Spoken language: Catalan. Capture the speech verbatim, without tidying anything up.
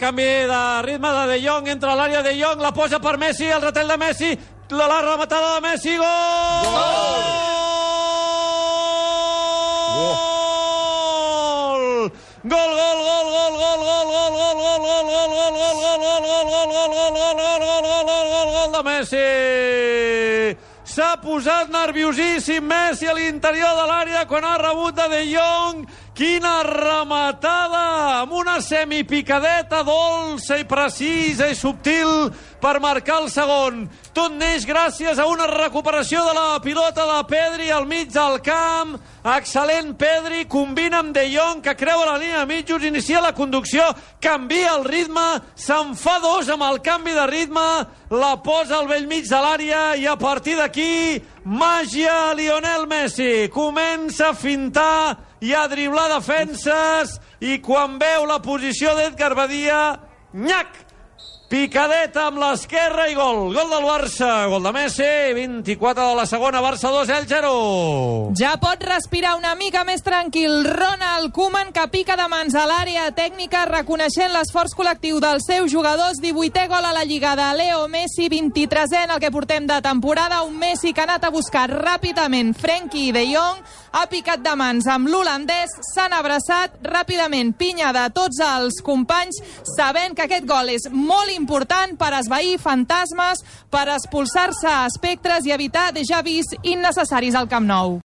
Canvi de ritme de De Jong, entra a l'àrea De Jong, la posa per Messi, el retall de Messi, la, la rematada de Messi, gol! Gol! Gol, gol, gol, gol, gol, gol, gol, gol, gol, gol, gol, gol, gol, gol, gol de Messi! S'ha posat nerviosíssim Messi a l'interior de l'àrea quan ha rebut de De Jong. Quina rematada! Amb una semipicadeta dolça i precisa i subtil per marcar el segon. Tot neix gràcies a una recuperació de la pilota de Pedri al mig del camp. Excel·lent Pedri, combina amb De Jong, que creua la línia de mitjos, inicia la conducció, canvia el ritme, se'n fa dos amb el canvi de ritme, la posa al bell mig de l'àrea i a partir d'aquí, màgia Lionel Messi. Comença a fintar i a driblar defenses i quan veu la posició d'Edgar Badia, nyac! Picadeta amb l'esquerra i gol. Gol del Barça, gol de Messi, vint-i-quatre de la segona, Barça dos, Elx zero. Ja pot respirar una mica més tranquil Ronald Koeman, que pica de mans a l'àrea tècnica, reconeixent l'esforç col·lectiu dels seus jugadors. divuitè gol a la Lliga de Leo Messi, vint-i-tresè en el que portem de temporada. Un Messi que ha anat a buscar ràpidament Frenkie de Jong, ha picat de mans amb l'holandès, s'han abraçat ràpidament, pinya de tots els companys, sabent que aquest gol és molt important per esvair fantasmes, per expulsar-se espectres i evitar déjà vus innecessaris al Camp Nou.